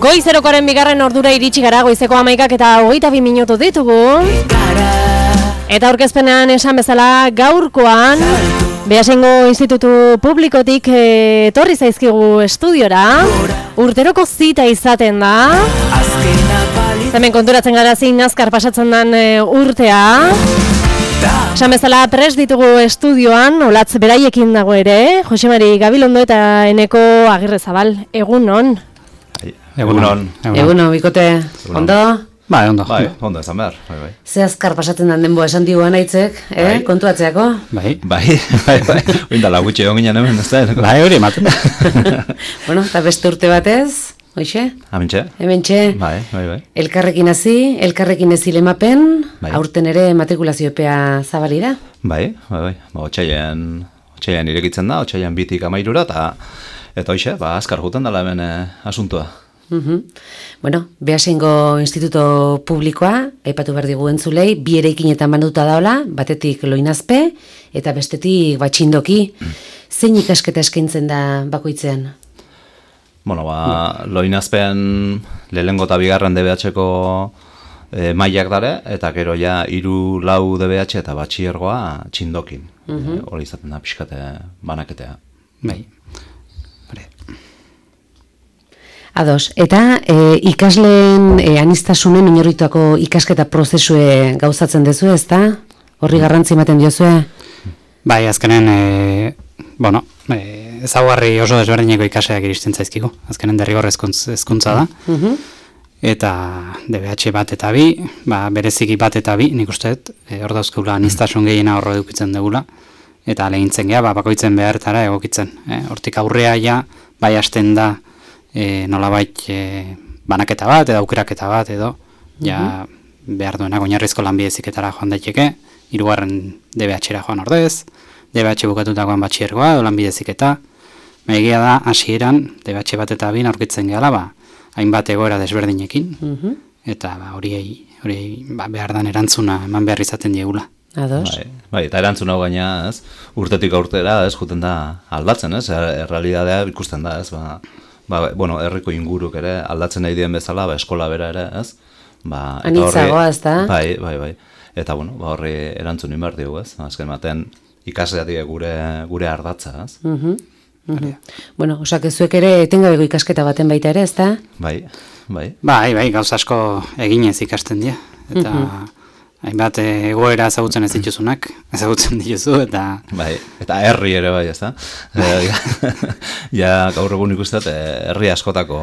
Goizerokoaren bigarren ordura iritsi gara, goizeko 11:22 minutu ditugu. Eta aurkezpenean esan bezala gaurkoan Beasaingo Institutu Publikotik etorri zaizkigu estudiora. Urteroko zita izaten da. Hemen konturatzen gara zein azkar pasatzen den urtea. Esan bezala prest ditugu estudioan, Olatz beraiekin dago ere, Josemari Gabilondo eta Eneko Agirrezabal. Egunon. Egunon. Egunon, bikote. Ondo? Bai, ondo. Bai, ondo esan behar. Bai. Ze azkar pasatzen den denboa esan diguan aitzek, kontuatzeako? Bai. Oindala gutxi egon ginen hemen, ez da? Bai, hori ematen. Bueno, eta beste urte batez, hoxe? Hementxe. Bai. Elkarrekin hasi, elkarrekin ez ilemapen, Bai. aurten ere matrikulazio epea zabali da? Bai. Otsailean irekitzen da, otsailean 2 tik 13 eta hoxe, azkar juten dela hemen asuntua. Bueno, Beasaingo Instituto Publikoa, aipatu behar digu entzulei, 2 eraikinetan banduta daola, batetik Loinazpe eta bestetik Batxindoki. Zein ikasketa eskaintzen da bakoitzean? Bueno, Loinazpean lehenengo eta bigarren DBH-ko mailak dare, eta gero ja 3, 4 DBH eta batxiergoa Txindokin. Hori izaten da pixkate banaketea. Bai. Ados, eta ikasleen aniztasunen oinarrituako ikasketa prozesue gauzatzen dezu, ezta? Horri garrantzi ematen diozue? Bai, azkenen, ezaugarri oso desberdineko ikaseak iristen zaizkigu. Azkenen derrigor hezkuntza da. Eta DBH bat eta 2, bereziki bat eta 2, nik uste, hor dauzkeula aniztasun gehiena horro edukitzen dugula. Eta lehintzen geha, bakoitzen behartara egokitzen. Hortik aurrea ja, bai hasten da, nolabait banaketa bat edo aukeraketa bat edo ja behar duenak oinarrizko lanbideziketara joan daiteke, 3. DBH-era joan ordez, DBH bukatutakoan batxiergoa edo lanbideziketa. Egia da hasieran DBH bat eta 2 aurkitzen gehala, hainbat egoera desberdinekin eta hori behar dan erantzuna eman behar izaten diegula. Ados. Bai, eta erantzun hau gaina, ez? Urtetik aurtera, ez, juten da aldatzen, ez? Errealitatea ikusten da, ez? Herriko inguruk ere aldatzen nahi dien bezala, eskola bera ere, ez? Anitzagoa, ez da? Bai. Eta, horri erantzun inbar diogu, ez? Azken baten ikasleatik gure ardatza, ez? Bueno, osak ezuek ere etengabeko ikasketa baten baita ere, ez da? Bai. Bai, gauza asko eginez ikasten dira. Eta hainbat egoera ezagutzen ez dituzunak, ezagutzen dituzu, eta... Bai, eta herri ere bai, ez da? Ja, gaur egun ikustet, herri askotako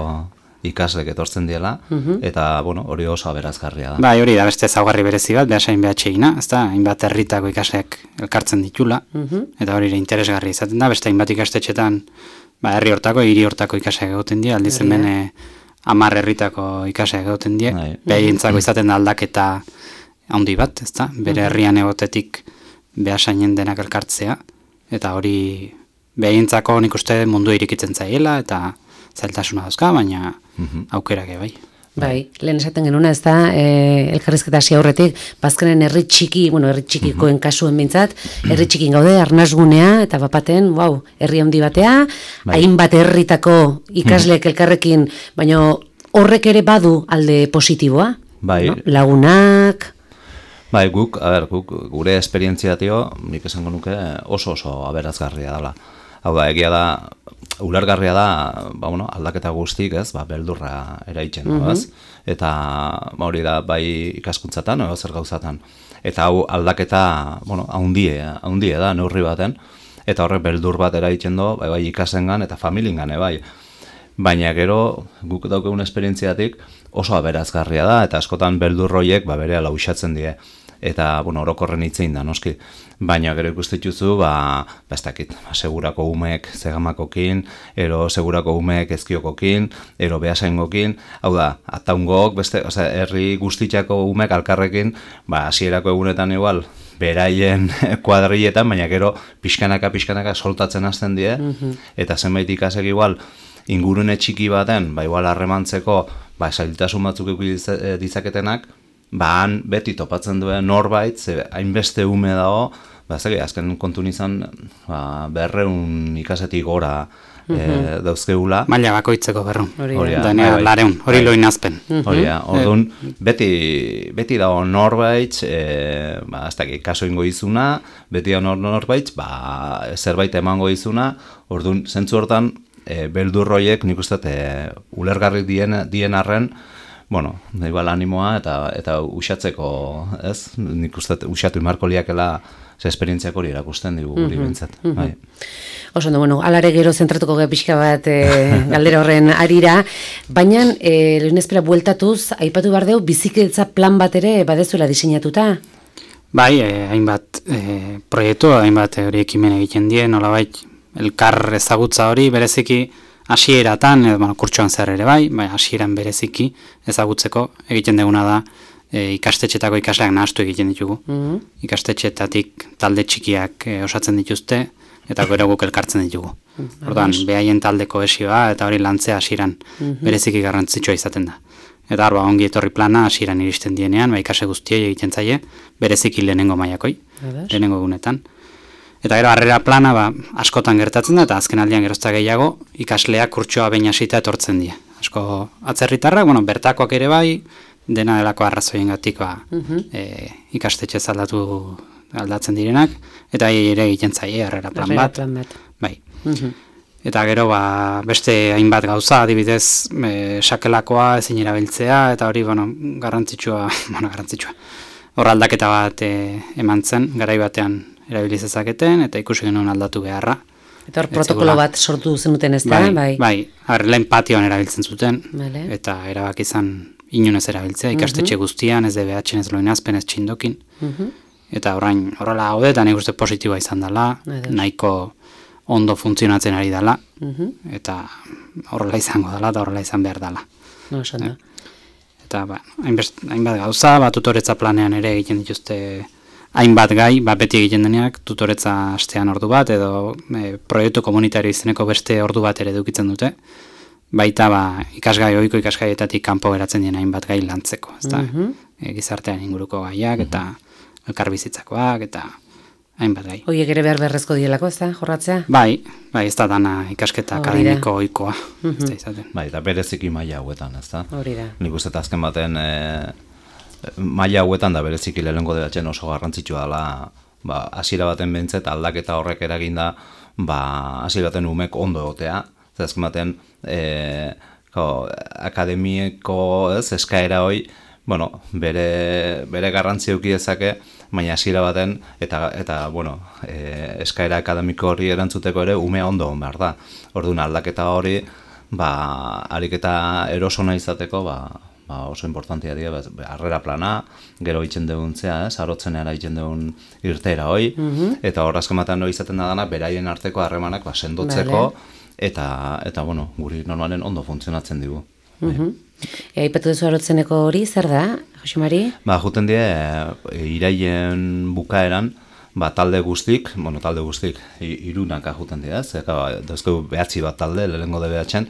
ikaslek etortzen diela, eta, hori oso aberazgarria da. Bai, hori da beste ezaugarri berezi bat, Beasain BH-ina, ez da? Hainbat herritako ikasleak elkartzen ditula, eta hori interesgarri izaten da, beste hainbat ikastetxetan, herri hortako, hiri hortako ikasleak egoten dira, aldiz hemen 10 herritako ikasleak egoten dira, behientzako izaten da aldaketa handi bat, ez da? Bere herrian egotetik Beasainen denak elkartzea, eta hori behintzako nik uste mundu irikitzen zaiela, eta zailtasuna dauzka, baina aukerak bai. Bai, lehen esaten genuna, ez da, elkarrizketa hasi aurretik, bazkenen herri txikikoen kasuen bintzat, herri txikin gaude, arnasgunea, eta bapaten, herri handi batea, hainbat herritako ikasleek elkarrekin, baina horrek ere badu alde positiboa, lagunak... Bai, guk gure esperientzia nik esango nuke oso aberazgarria dela. Hau da, egia da, ulergarria da, aldaketa guztik, ez, beldurra eraitzen, ez? Eta hori da, bai ikaskuntzatan, zer gauzatan. Eta hau aldaketa, haundie da, neurri baten, eta horrek beldur bat eraitzen du, bai ikasengan eta familiengan, bai. Baina gero, guk daukegun esperientziatik oso aberazgarria da, eta askotan beldurroiek bere lausatzen die. Eta, orokorren hitzein da, noski. Baina gero ikustituzu, ez dakit, segurako umeek zegamakokin, ero segurako umeek ezkiokokin, ero Beasaingokin, hau da, ataungok, herri guztitzako umeek alkarrekin, hasierako egunetan igual, beraien kuadrilletan, baina gero pixkanaka soltatzen hasten die, eta zenbait ikasek igual, ingurune txiki baten, igual harremantzeko, zailtasun batzuk ditzaketenak, han beti topatzen duen norbait, hainbeste ume dago, azken kontun izan, 200 ikasetik gora dauzkeula. Maila bakoitzeko 200. Hori da. Danea 200, hori loinazpen. Hori da, orduan, beti dago norbait, ez dakit, kaso ingo izuna, beti dago norbait, zerbait emango izuna, orduan, zentzu hortan, beldurroiek nik uste ulergarrik dien arren, bueno, igual animoa eta usatzeko, ez? Nik uste usatu imarko liakela esperientziak hori erakusten digu guri bintzat. Oso, bueno, alare gero zentratuko pixka bat galdera horren arira, baina lehenezpera bueltatuz, aipatu behar deu, bizikidetza plan bat ere badezuela diseinatuta? Bai, hainbat proiektu, hainbat hori ekimen egiten die, nolabait elkar ezagutza hori bereziki hasieratan, kurtsoan zer ere bai, hasieran bereziki ezagutzeko egiten deguna da ikastetxetako ikasleak nahastu egiten ditugu. Ikastetxetatik talde txikiak osatzen dituzte, eta gero guk elkartzen ditugu. Orduan, behaien talde kohesioa eta hori lantzea hasieran bereziki garrantzitsua izaten da. Eta hor, ongi etorri plana hasieran iristen dienean, ikase guztiei egiten zaie, bereziki lehenengo maiakoi, lehenengo egunetan. Eta gero harrera plana askotan gertatzen da, eta azken aldian gerozta gehiago, ikasleak kurtsoa behin hasita etortzen die. Asko atzerritarrak, bertakoak ere bai, dena delako arrazoiengatik ikastetxe aldatzen direnak, eta ere egiten zaie harrera plan bat. Bai. Eta gero beste hainbat gauza, adibidez, sakelakoa ezin erabiltzea, eta hori garrantzitsua. Hor aldaketa bat eman zen, garai batean erabiliz ezaketen, eta ikusi genuen aldatu beharra. Eta hor protokolo bat sortu zenuten ez da? Bai, lehen patioan erabiltzen zuten, eta erabaki izan inunez erabiltzea, ikastetxe guztian, ez DBH-en, ez loinazpen, ez txindokin. Eta horrela gaude, eta nik uste positiboa izan dela, nahiko ondo funtzionatzen ari dela, eta horrela izango dela, eta horrela izan behar dela. Eta hainbat gauza, tutoretza planean ere egiten dituzte hainbat gai, beti egiten deneak, tutoretza astean ordu bat, edo proiektu komunitario izeneko beste ordu bat ere edukitzen dute, baita ikasgai, ohiko ikasgaietatik kanpo geratzen dien hainbat gai lantzeko, gizartean inguruko gaiak, eta elkarbizitzakoak, eta hainbat gai. Hoiek ere beharrezko dielako, ez da, jorratzea? Bai, ez da dana ikasketa akademiko ohikoa. Bai, eta bereziki maila hauetan, ez da? Hori da. Nik uste azken baten maila hauetan da bereziki lehenengo debatzen oso garrantzitsua dela, hasiera baten behintzet aldaketa horrek eraginda, hasiera baten umek ondo egotea, azken baten akademiko eskaera hoi, bere garrantzi eduki dezake, baina hasiera baten eta eskaera akademiko hori erantzuteko ere ume ondo behar da. Orduan aldaketa hori, ariketa erosona izateko, oso importantia dira, harrera plana, gero egiten duguntzea, arotzenera egiten dugun irteera hoi, eta hor azken batean hori izaten da dana, beraien arteko harremanak sendotzeko, eta guri normalen ondo funtzionatzen digu. Aipatu duzu arotzeneko hori, zer da, Jose Mari? Juten die, iraien bukaeran, talde guztik, irunaka juten die, dauzkegu behatzi bat talde, lehenengo DBH-en,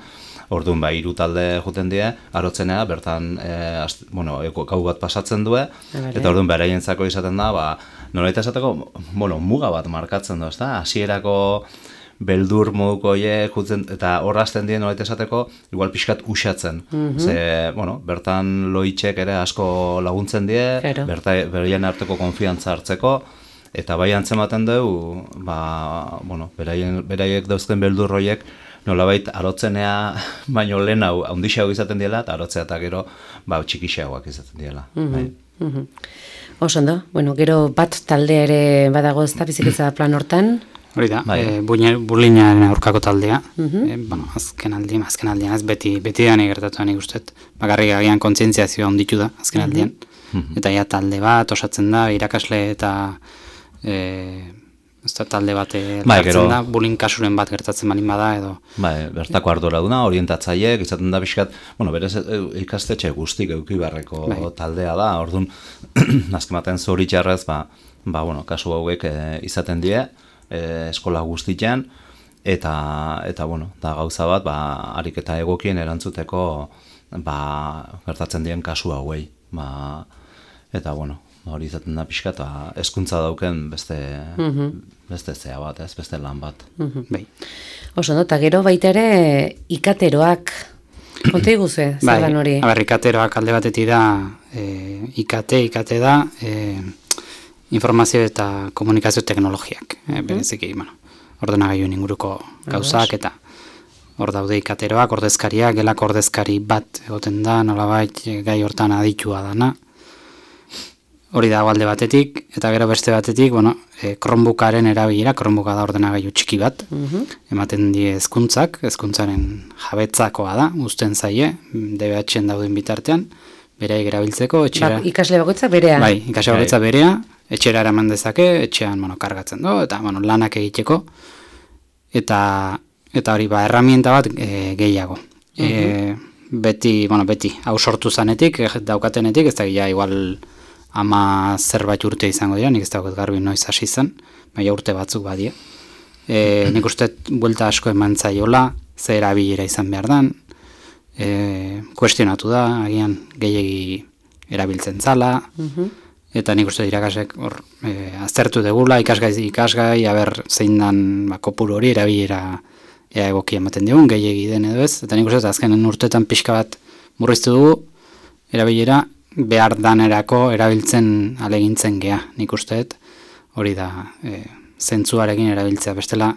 orduan 3 talde juten die, arotzenera, bertan gau bat pasatzen du, eta orduan beraientzako izaten da, nolaita esateko, muga bat markatzen du, hasierako beldur moduko horiek, eta horrazten dien nolaita esateko, igual pixkat usatzen. Bertan loitxek ere asko laguntzen die, beraien arteko konfiantza hartzeko, eta bai antzematen dugu, beraiek dauzken beldur horiek, nolabait arotzenea baino lehen hau handixeago izaten diela, eta arotzea eta gero txikixeagoak izaten diela. Oso ondo, gero bat talde ere badago ez da bizikidetza plan hortan? Hori da, burlinaren aurkako taldea, azken aldian ez beti dani gertatu nik uste, bakarrik agian kontzientziazioa onditu da azken aldian, eta ja talde bat osatzen da, irakasle eta talde bat hartzen da, bullying kasuren bat gertatzen balin bada edo. Bertako arduraduna, orientatzaileek, izaten da pixkat, berez ikastetxe guztik eukibarreko taldea da, orduan, azken baten zoritxarrez, kasu hauek izaten die, eskola guztian, eta da gauza bat, ariketa egokien erantzuteko gertatzen dien kasu hauei. Eta, hori izaten da pixka, eta hezkuntza dauken beste zea bat, ez, beste lan bat. Bai. Oso, no? Eta gero baita ere ikateroak, konta iguzue, zer dan hori? Ikateroak alde batetik da, IKT da, informazio eta komunikazio teknologiak, bereziki, ordenagailuen inguruko gauzak, eta hor daude ikateroak, ordezkariak, gelako ordezkari bat egoten da, nolabait gai hortan aditua dana. Hori dago alde batetik, eta gero beste batetik, Chromebookaren erabilera, Chromebooka da ordenagailu txiki bat, ematen die hezkuntzaren jabetzakoa da, uzten zaie, DBH-en dauden bitartean, bereik erabiltzeko, etxera... Ikasle bakoitza berea? Bai, ikasle bakoitza berea, etxera eraman dezake, etxean kargatzen du, eta lanak egiteko, eta hori erramienta bat gehiago. Beti, hau sortu zanetik, daukatenetik, ez da gila igual zerbait urte izango dira, nik ez daukat garbi noiz hasi zen, baina urte batzuk badie. Nik uste buelta asko eman zaiola, ze erabilera izan behar dan, kuestionatu da, agian gehiegi erabiltzen zala, eta nik uste irakasek aztertu degula, ikasgai, aber zein dan kopuru hori erabilera egokia ematen digun, gehiegi den edo ez, eta nik uste azkenen urtetan pixka bat murriztu dugu, erabilera behar danerako erabiltzen alegintzen gea, nik usteet, hori da zentzuarekin erabiltzea, bestela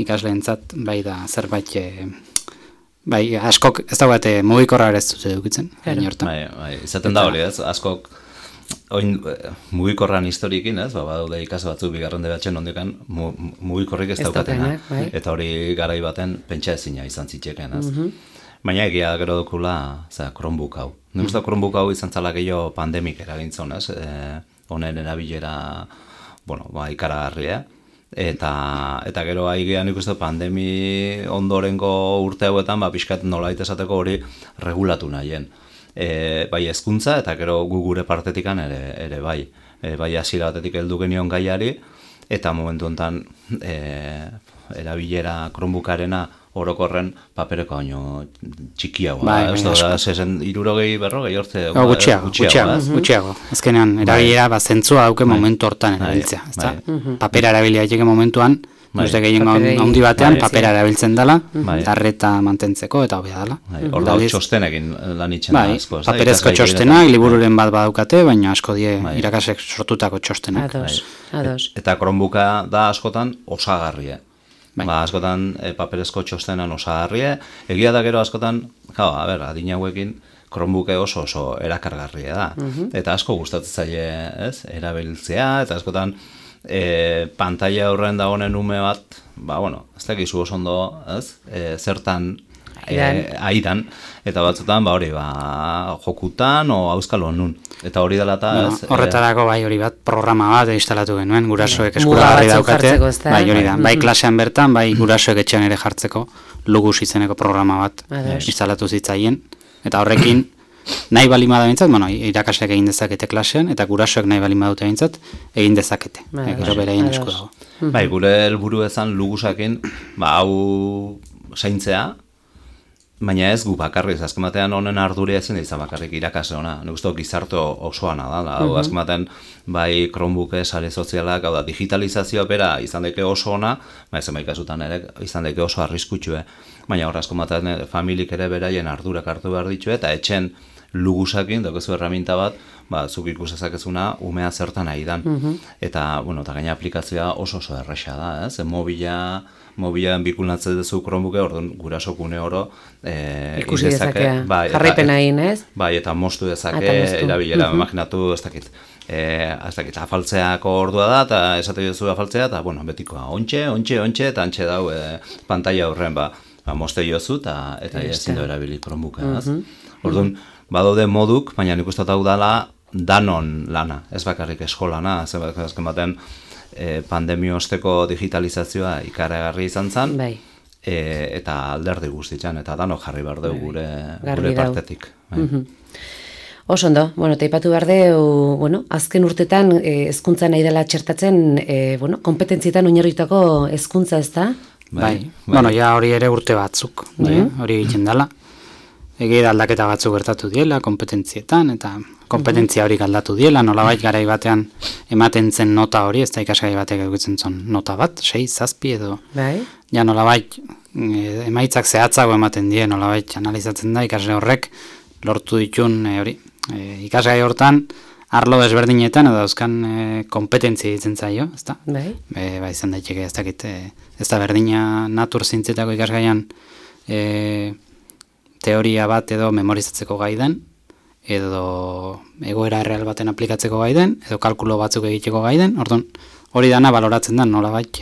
ikasleentzat bai da zerbait, bai askok ez dagoate mugikorra ere ez dute dukitzen. Bai, izaten da hori ez, askok mugikorran historiekin ez, badaude ikasle batzuk bigarren DBH-en ondikan mugikorrik ez daukatena, eta hori garai baten pentsa ezina izan zitekeen ez. Baina egia gero dukula Chromebook hau. Nik uste Chromebook hau izan zala gehiago pandemik eragintzen, honen erabilera ikaragarria. Eta gero haigean nik uste pandemi ondorengo urte hauetan pixkat nolait esateko hori regulatu nahien. Bai hezkuntza eta gero gure partetikan ere bai. Bai hasiera batetik heldu genion gaiari, eta momentu honetan erabilera Chromebookarena orokorren papereko baino txikiagoa. Ez da, 60 berrogei hortze... Gutxiago. Azkenean, erabilera zentzua dauke momentu hortan erabiltzea. Papera erabilia daiteke momentuan, uste gehien handi batean, papera erabiltzen dela, darreta mantentzeko, eta hobea dela. Hor da txostenekin lan itxen da asko. Paperezko txostenak, libururen bat badaukate, baina asko die irakasek sortutako txostenak. Eta Chromebooka da askotan osagarria. Askotan paperezko txostenan osagarria, egia da gero askotan, adin hauekin Chromebook oso erakargarria da. Eta asko gustatzen zaie erabiltzea, eta askotan pantalla aurren dagoen ume bat, ez dakizu oso ondo, zertan aidan, eta batzutan hori jokutan o auskalo nun. Eta hori dela eta... Horretarako hori bat programa bat instalatu genuen, gurasoek eskuragarri daukate. Bai hori da, bai klasean bertan, bai gurasoek etxean ere jartzeko Lugus izeneko programa bat instalatu zitzaien. Eta horrekin, nahi bali bada bintzat, irakasleak egin dezakete klasean, eta gurasoek nahi bali badute bintzat, egin dezakete. Gero bereien esku dago. Bai, gure helburu ezan Lugusakin, hau zaintzea, baina ez gu bakarriz, azken batean honen arduria ezin izan bakarrik irakasle ona. Nik uste gizarte osoana da. Azken batean, bai Chromebook sare sozialak, digitalizazioa bera izan daike oso ona, zenbait kasutan ere izan daike oso arriskutsue. Baina hor azken batean familik ere beraien ardurak hartu behar ditu, eta etxen Lugusakin, daukezu erraminta bat, zuk ikusezakezuna umea zertan nahi dan. Eta gaina aplikazioa oso erresa da, ez? Mobilan bikulnatzen duzu Chromebooke, orduan gurasok une oro ikusi dezake, jarraipena egin, ez? Bai, eta mostu dezake, erabilera, imaginatu, ez dakit, afaltzeako ordua da, eta esate duzu afaltzea, eta betikoa, ontxe, eta antxe dau pantalla horren, moste jozu, eta ezin du erabili Chromebooke, ez? Orduan, badaude moduk, baina nik uste hau dela danon lana, ez bakarrik eskolana, azken baten, pandemio osteko digitalizazioa ikaragarri izan zen, eta alderdi guztitzen, eta dano jarri behar dugu gure partetik. Oso ondo, taipatu behar dugu, azken urtetan hezkuntza nahi dela txertatzen, kompetentzietan oinarritutako hezkuntza ez da? Bai, ja hori ere urte batzuk, hori egiten dela. Egia aldaketa batzuk gertatu diela, kompetentzietan, eta kompetentzia hori aldatu diela, nolabait garai batean ematen zen nota hori, ez da ikasgai batek edukitzen zen nota bat, 6, 7 edo. Bai. Ja nolabait emaitzak zehatzago ematen die, nolabait analizatzen da ikasle horrek lortu ditun hori. Ikasgai hortan arlo desberdinetan edo dauzkan kompetentzia ditzen zaio, ezta? Bai. Ba izan daiteke ez dakit, ez da berdina natur zientzietako ikasgaian teoria bat edo memorizatzeko gai den, edo egoera erreal baten aplikatzeko gai den, edo kalkulo batzuk egiteko gai den, orduan hori dana baloratzen da nolabait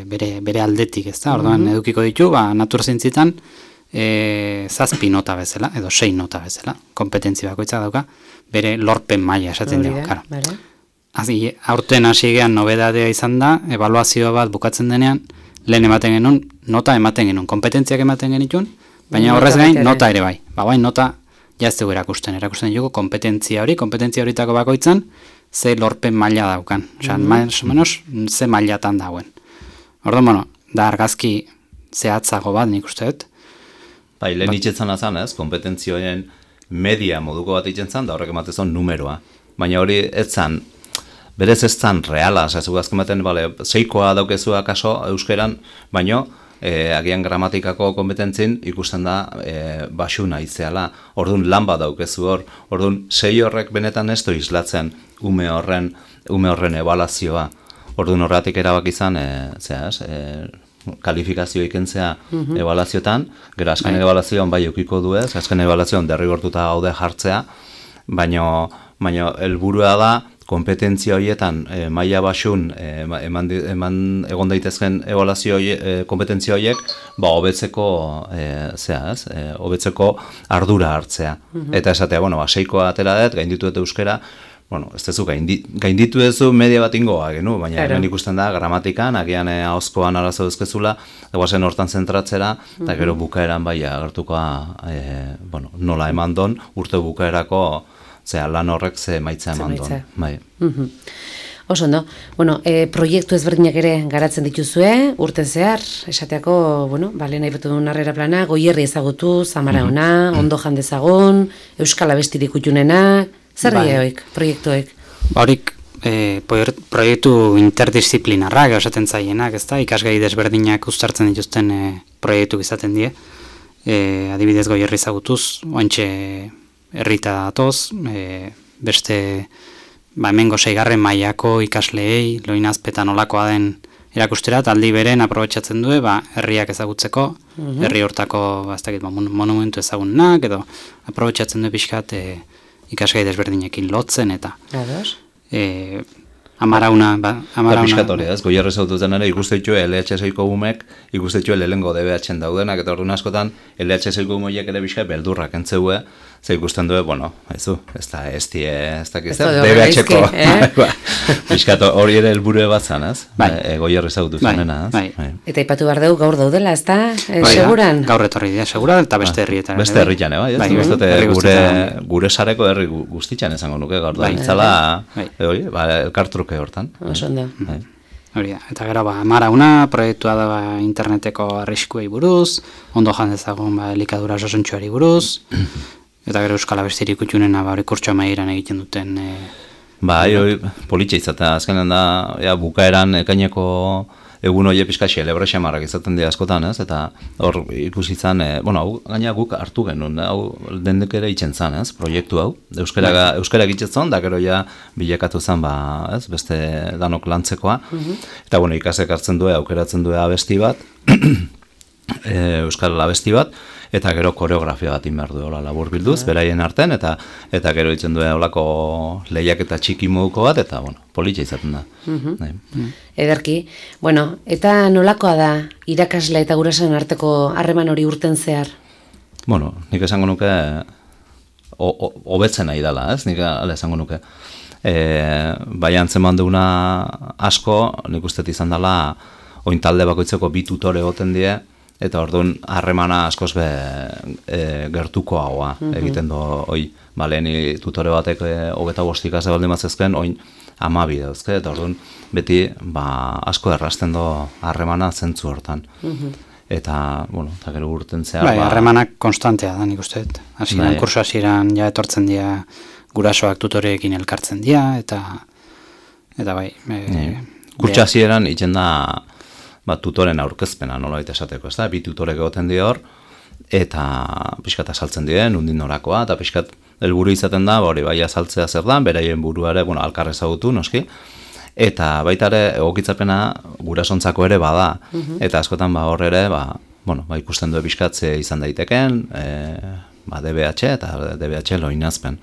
bere aldetik, ezta? Orduan edukiko ditu, natur zientzietan 7 nota bezala, edo 6 nota bezala, kompetentzi bakoitza dauka, bere lorpen maila esaten dugu, karo. Aurten hasi gean nobedadea izan da, ebaluazio bat bukatzen denean, lehen ematen genuen, nota ematen genuen, kompetentziak ematen genituen, baina horrez gain, nota ere bai. Baina nota jaztegu erakusten dugu kompetentzia horitako bakoitzan, ze lorpen maila daukan. Osa, más o menos, ze mailatan dauen. Orduan, da argazki zehatzago bat, nik uste dut. Bai, lehen itxetzen azan, kompetentzioen media moduko bat itxetzen, da horrek ematezon numeroa. Baina hori etzan, berez ez zan reala, zaizu azken baten, seikoa daukezua kaso euskeran, baino, agian gramatikako kompetentzien ikusten da basuna itzeala, orduan lan bat daukezu hor, orduan 6 horrek benetan ez du islatzen ume horren ebaluazioa, orduan horretik erabak izan, kalifikazio ikentzea ebaluazioetan, gero azken ebaluazioan bai eukiko du ez, azken ebaluazioan derrigortuta gaude jartzea, baino helburua da, kompetentzia horietan maila basun egon daitezken ebaluazio kompetentzia horiek hobetzeko hobetzeko ardura hartzea. Eta esatea, seikoa atera dut, gainditu dut euskera, ez dezu, gainditu duzu media bat ingoa, baina hemen ikusten da, gramatikan, agian ahozkoan arazo duzkezula, eguazen hortan zentratzera, eta gero bukaeran bai agertukoa nola eman don, urte bukaerako lan horrek ze maitza eman duen. Bai. Oso, ondo. Proiektu ezberdinak ere garatzen dituzue, urten zehar, esateako, lehen aipatu duen harrera plana, Goierri ezagutu, Zamaraona, Ondo jan dezagun, Euskal Abestirik utxunenak, zer dira proiektuek? Horik, proiektu interdisciplinarrak esaten zaienak, ezta? Ikasgai desberdinak uztartzen dituzten proiektu izaten die. Adibidez Goierri ezagutuz, oantxe herrita datoz, beste hemengo 6. mailako ikasleei loinazpetan olakoa den erakusterat, aldi beren aprobetxatzen du, herriak ezagutzeko, herri hortako monumentu ezagunak, edo aprobetxatzen du pixkat ikasgai desberdinekin lotzen, eta Amarauna. Piskat hori, Goierri zautuzen ere, ikusteitxu LHS-iko umek, ikusteitxu lehengo DBH-en daudenak, eta orduan askotan LHS-iko umeiek ere pixka beldurrak entzeue, ze ikusten du, ez da DBH-ko. Piskat hori ere helburu bat zan, Goierri zautuzenena. Eta ipatu behar dugu gaur daudela, ez da? Seguran? Gaur etorri dira, seguran, eta beste herrietan. Beste herritan, gure sareko herri guztitzen esango nuke, gaur da, itzala, elkartruke hortan. Hori da, eta gero Amarauna proiektua da interneteko arriskuei buruz, Ondo jan dezagun elikadura sosontxoari buruz, eta gero Euskal Abestirik utxunena hori kurtso amaieran egiten duten. Hori politxe izatea, azkenean da, bukaeran ekaineko egun hori pixka xelebre xamarrak izaten dira askotan, eta hor ikusi izan, gaina guk hartu genuen, hau dendek ere itxen zan, proiektu hau, euskara egitzetzen, da gero ja bilakatu zen, beste danok lantzekoa, eta ikasek hartzen du, aukeratzen du abesti bat, euskal abesti bat, eta gero koreografia bat inber du, labur bilduz, beraien arten, eta gero itzen du olako lehiak eta txiki moduko bat, eta politxe izaten da. Ederki, eta nolakoa da irakasle eta gurasoen arteko harreman hori urten zehar? Nik esango nuke hobetzen nahi dela, nik esango nuke. Bai antzeman duguna asko, nik uste izan dela, oin talde bakoitzeko 2 tutore goten die, eta orduan harremana askoz gertuko haua egiten du, leheni tutore batek 25 ikasle baldin mazezken, oin 12 dauzke, eta orduan beti asko errasten du harremana zentzu hortan. Eta, eta gero urten zehar... Harremanak konstantea da, nik uste. Hasieran, kurso hasieran, etortzen dira gurasoak tutoreekin elkartzen dira, eta bai... Kurtsasieran itzen da tutoren aurkezpena, nola esateko, ez da? Bi tutorek egoten di hor, eta pixkat azaltzen dien, undin norakoa, eta pixkat helburu izaten da, hori bai azaltzea zer da, beraien buruare, alkar ezagutu, noski, eta baita ere egokitzapena gurasontzako ere bada, eta askotan hor ere, ikusten du pixkatze izan daiteken, DBH eta DBH loinazpen.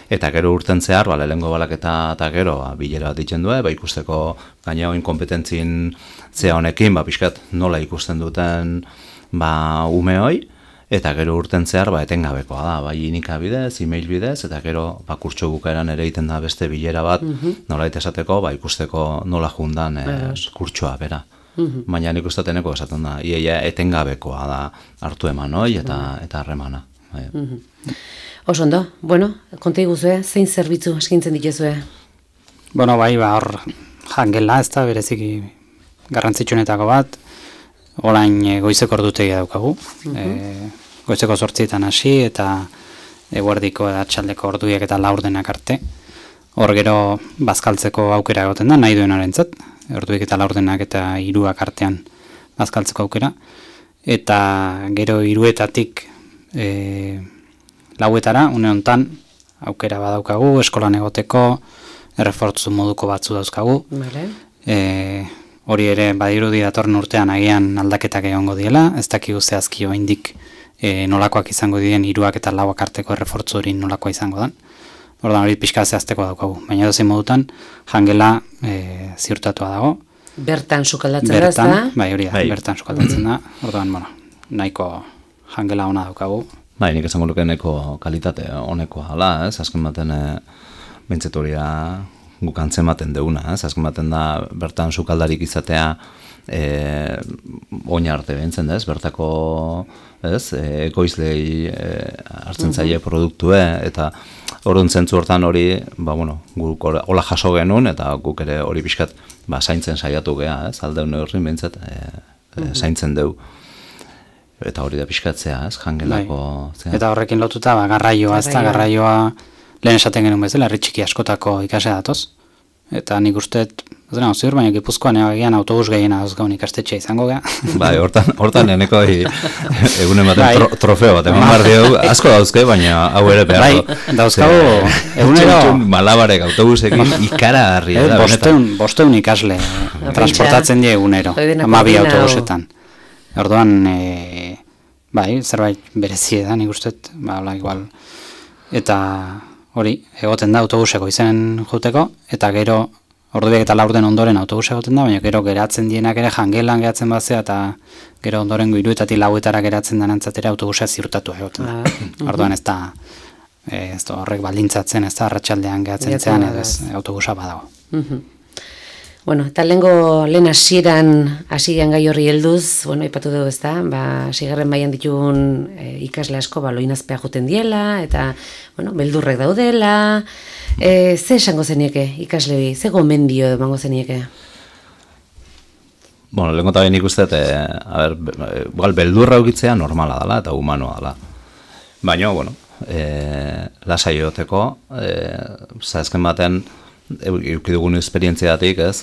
Eta gero urten zehar, lehengo balaketa eta gero bilera bat ditzen du, ikusteko gaina oin kompetentzin zea honekin, pixkat nola ikusten duten ume hoi, eta gero urten zehar etengabekoa da, bai inika bidez, e-mail bidez, eta gero kurtso bukaeran ere egiten da beste bilera bat, nola esateko, ikusteko nola jundan kurtsoa bera. Baina nik usteteneko esaten da, iaia etengabekoa da hartu eman hoi eta harremana. Oso ondo, konta iguzue, zein zerbitzu eskintzen dituzue? Hor jangela, ez da bereziki garrantzitsuenetako bat, orain goizeko ordutegia daukagu, goizeko 8 hasi eta eguerdiko eta atxaldeko orduiek eta laurdenak arte. Hor gero bazkaltzeko aukera egoten da, nahi duen orentzat, orduiek eta laurdenak eta 3 artean bazkaltzeko aukera. Eta gero 3etatik 4etara, une hontan aukera badaukagu, eskolan egoteko, errefortzu moduko batzu dauzkagu. Hori ere badirudi datorren urtean agian aldaketak egongo diela, ez dakigu zehazki oraindik nolakoak izango diren 3 eta 4 arteko errefortzu hori nolakoa izango den. Orduan hori pixka zehazteko daukagu, baina edozein modutan jangela ziurtatua dago. Bertan sukaldatzen da, ez da? Bai, hori da, bertan sukaldatzen da. Orduan, nahiko jangela ona daukagu. Bai, nik esango luke neko kalitate honekoa hala, ez? Azken baten bentzetoria guk antzematen deuna, ez? Azken baten da bertan sukaldarik izatea oina arte behintzen, ez? Bertako, ez? Ekoizlei hartzen zaie produktue, eta orduan zentzu hortan hori, guk hola jaso genuen, eta guk ere hori pixkat zaintzen saiatu geha, ez? Aldeun horrin behintzat zaintzen deu. Eta hori da pixkatzea, ez, jangelako... Eta horrekin lotuta, garraioa, ez da, garraioa lehen esaten genuen bezala, herri txiki askotako ikasea datoz. Eta nik usteet, ez dena, ziur, baina Gipuzkoan egian autobus gehiena dauzgaun ikastetxe izango geha. Bai, hortan eneko egunen baten trofeo bat, eman behar diegu, asko dauzke, baina hau ere beharko. Bai, dauzkagu, egunero... Malabarek autobusekin ikara harria da, benetan. Bosteun ikasle transportatzen die egunero, 12 autobusetan. Orduan, zerbait berezie da, nik usteet, igual. Eta hori, egoten da autobuseko izen juteko, eta gero, ordubiek eta laurden ondoren autobus egoten da, baina gero geratzen dienak ere jangelan geratzen bazea, eta gero ondoren 3etatik 4etara geratzen denantzatera autobusa ziurtatu egoten da. Orduan ez da horrek baldintzatzen, ez da arratsaldean geratzen zean, edo ez autobusa badago. Eta lehen hasieran hasian gai horri helduz, ipatu dugu ez da, sigarren baian ditugun ikasle asko loinazpea joten diela, eta, beldurrek daudela, ze esango zenieke ikaslebi, ze gomendio emango zenieke? Lehenko eta behin ikustet, beldurra ukitzea normala dela eta humanoa dela. Baina, lasai egoteko, zaezken baten, eukidugun esperientziatik, ez,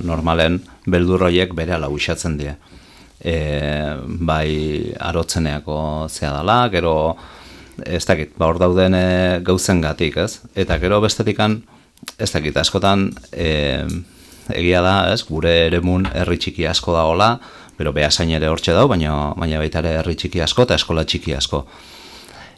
normalen beldurroiek bere ala uixatzen die. Bai arotzeneako zea dela, gero, ez dakit, hor dauden gauzen gatik, ez? Eta gero bestetikan, ez dakit, askotan, egia da, ez, gure eremun herri txiki asko da hola, bero behasain ere hortxe dau, baina baita ere herri txiki asko eta eskola txiki asko.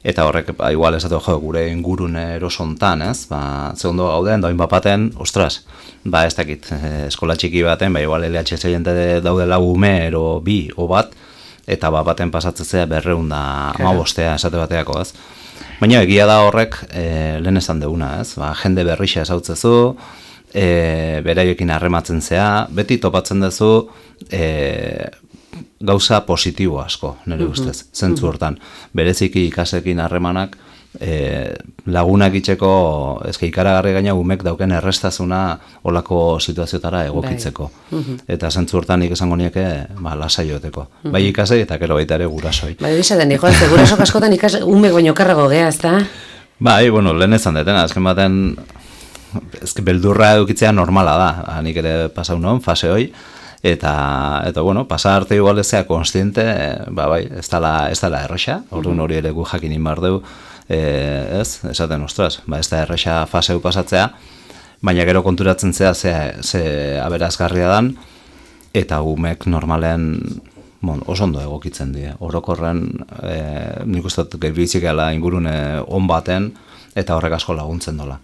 Eta horrek, igual esatu gure ingurun erosontan, ez? Zegondo gauden, doin bapaten, ostras, ez dakit, eskola txiki baten, igual LHS jente daudela ume, ero bi, o bat, eta bapaten pasatzea 215 esate bateako, ez? Baina egia da horrek, lehen esan deuna, ez? Jende berrixa esautzezu, beraiekin harrematzen zea, beti topatzen duzu, gauza positibo asko, nire ustez, zentzu hortan. Bereziki ikasekin harremanak lagunak itxeko, ezke ikaragarri gaina umek dauken errestazuna olako situazioetara egokitzeko. Eta zentzu hortan nik esango nieke lasai joteko. Bai ikasei eta gero baita ere gurasoi. Bai, bizaten, gurasok askotan umek baino karrago geha, ez da? Bai, bueno, lehen ezan detena, azken baten, ezke beldurra edukitzea normala da, nik ere pasau non, fase hoi, eta bueno, pasa arte igual ezea konstiente, bai, ez dala erresa, orduan hori ere gu jakin inbar dugu, esaten, ostras, ez da erresa faseu pasatzea, baina gero konturatzen zea ze aberazgarria dan, eta umek normalen oso ondo egokitzen die. Orokorren, nik uste dut gehiagoizik gala ingurune on baten, eta horrek asko laguntzen dola.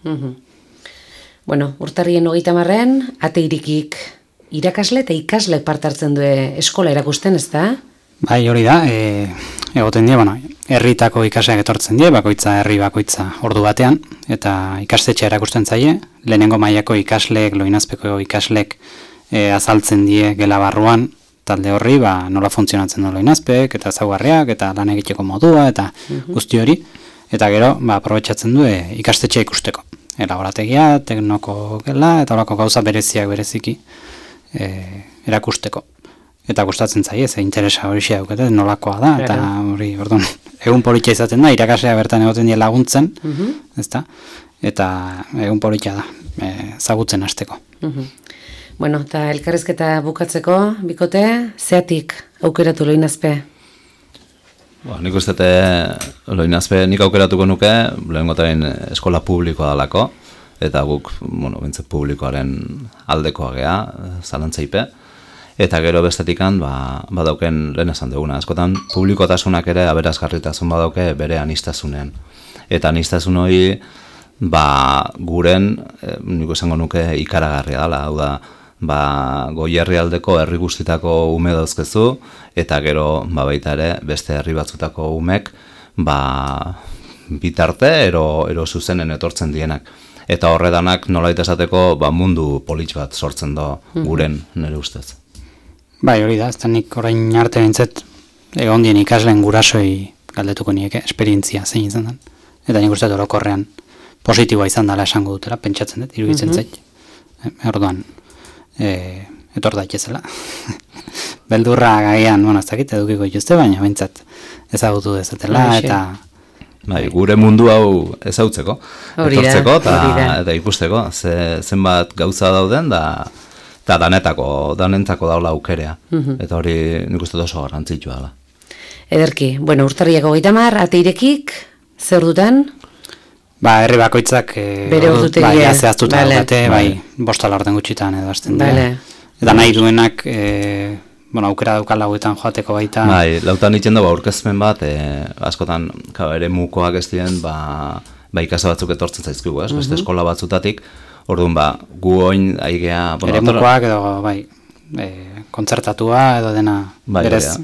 Bueno, urtarrien 30 ate irikik irakasle eta ikasle parte hartzen du eskola erakusten, ez da? Bai, hori da, egoten die, herritako ikasleak etortzen die, herri bakoitza ordu batean, eta ikastetxe erakusten zaie, lehenengo mailako ikasleek, loinazpeko ikasleek azaltzen die gela barruan, talde horri, nola funtzionatzen du loinazpek, eta ezaugarriak, eta lan egiteko modua, eta guzti hori, eta gero, aprobetxatzen du ikastetxe ikusteko. Laborategia, teknoko gela, eta horako gauza bereziki erakusteko. Eta gustatzen zaie, ze interesa hori daukete, nolakoa da, eta hori, orduan, egun politia izaten da, irakaslea bertan egoten die laguntzen, ezta? Eta egun politia da, zagutzen hasteko. Bueno, eta elkarrizketa bukatzeko, bikote, zeatik aukeratu loinazpe? Nik uste loinazpe nik aukeratuko nuke, lehengotain eskola publikoa dalako, eta guk, bintze publikoaren aldekoa gea, zalantzaipe, eta gero bestetikan, badauken lehen esan duguna. Askotan, publikotasunak ere aberazgarritasun badauke bere anistasunean. Eta anistasun hori, guren, nik esango nuke ikaragarria dela, hau da, Goierri aldeko herri guztitako ume dauzkezu, eta gero baita ere beste herri batzutako umek bitarte ero zuzenen etortzen dienak. Eta horredanak nolait esateko mundu politx bat sortzen do guren nire ustez. Bai, hori da, ez da nik orain arte bintzet egon dien ikasleen gurasoi galdetuko nieke esperientzia zein izan den. Eta nik uste orokorrean positiboa izan dela esango dutela, pentsatzen dut, iruditzen zait. Orduan, etor daitezela. Beldurra gaian, ez dakit edukiko ituzte, baina bintzat ezagutu dezatela, eta... Bai, gure mundu hau ezautzeko, etortzeko eta ikusteko, zenbat gauza dauden, eta danentzako daula aukerea, eta hori nik uste oso garrantzitsua dela. Ederki, bueno, urtarriak 30, ate irekik, zer duten? Herri bakoitzak zehaztuta daukate, bostala orden gutxitan edo hasten dira. Eta nahi duenak, aukera daukala lauetan joateko baita. Lautan ditzen dago aurkezpen bat, askotan ere mukoak ez diren, ikasa batzuk etortzen zaizkigu, beste eskola batzutatik, orduan gu oin aigea... Ere mukoak edo, kontzertatua edo dena berez.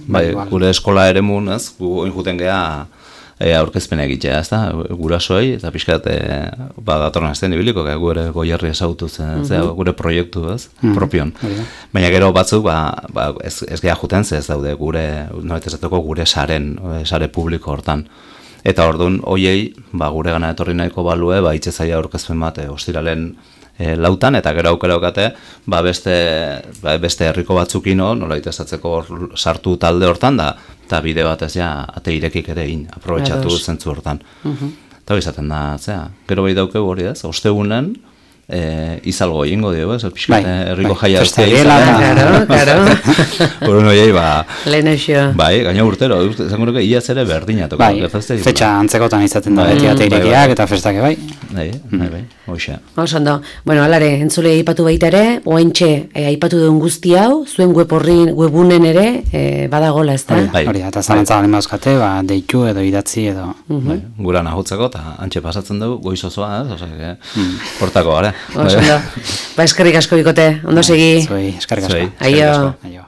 Gure eskola ere mun, gu oin juten geha, aurkezpena egitea, ez da, gurasoei, eta pixkat datorren azten ibiliko, gure Goierri esautu zen, gure proiektu, propion. Baina gero batzuk, ez geha juten, ez daude gure, noret ezateko gure sare publiko hortan. Eta orduan, hoiei, gure gana etorri nahiko balue, itxezaia aurkezpen bat, ostiralen lautan, eta gero aukera okate, beste herriko batzukino, nolait ezatzeko sartu talde hortan, eta bide batez ate irekik ere aprobetxatu zentzu hortan. Eta izaten da, gero behi daukegu hori ez, ostegunen, izalgo egingo dio, herriko jaia Claro. Horren horiei, gaina urtero, zango nuke, iaz ere berdinatuko. Fetxa antzekotan izaten da, beti ate irekiak eta festake hoxe. Ondo, bueno, alare, entzule aipatu baita ere, oaintxe aipatu duen guzti hau, zuen webunen ere, badagola, ez da? Hori, eta zalantza galen bauzkate, deitu edo idatzi edo. Gura nahutzeko, eta antxe pasatzen dugu, goiz osoa, portako, gara. Eskerrik asko bikote, ondo segi. Eskerrik asko. Aio.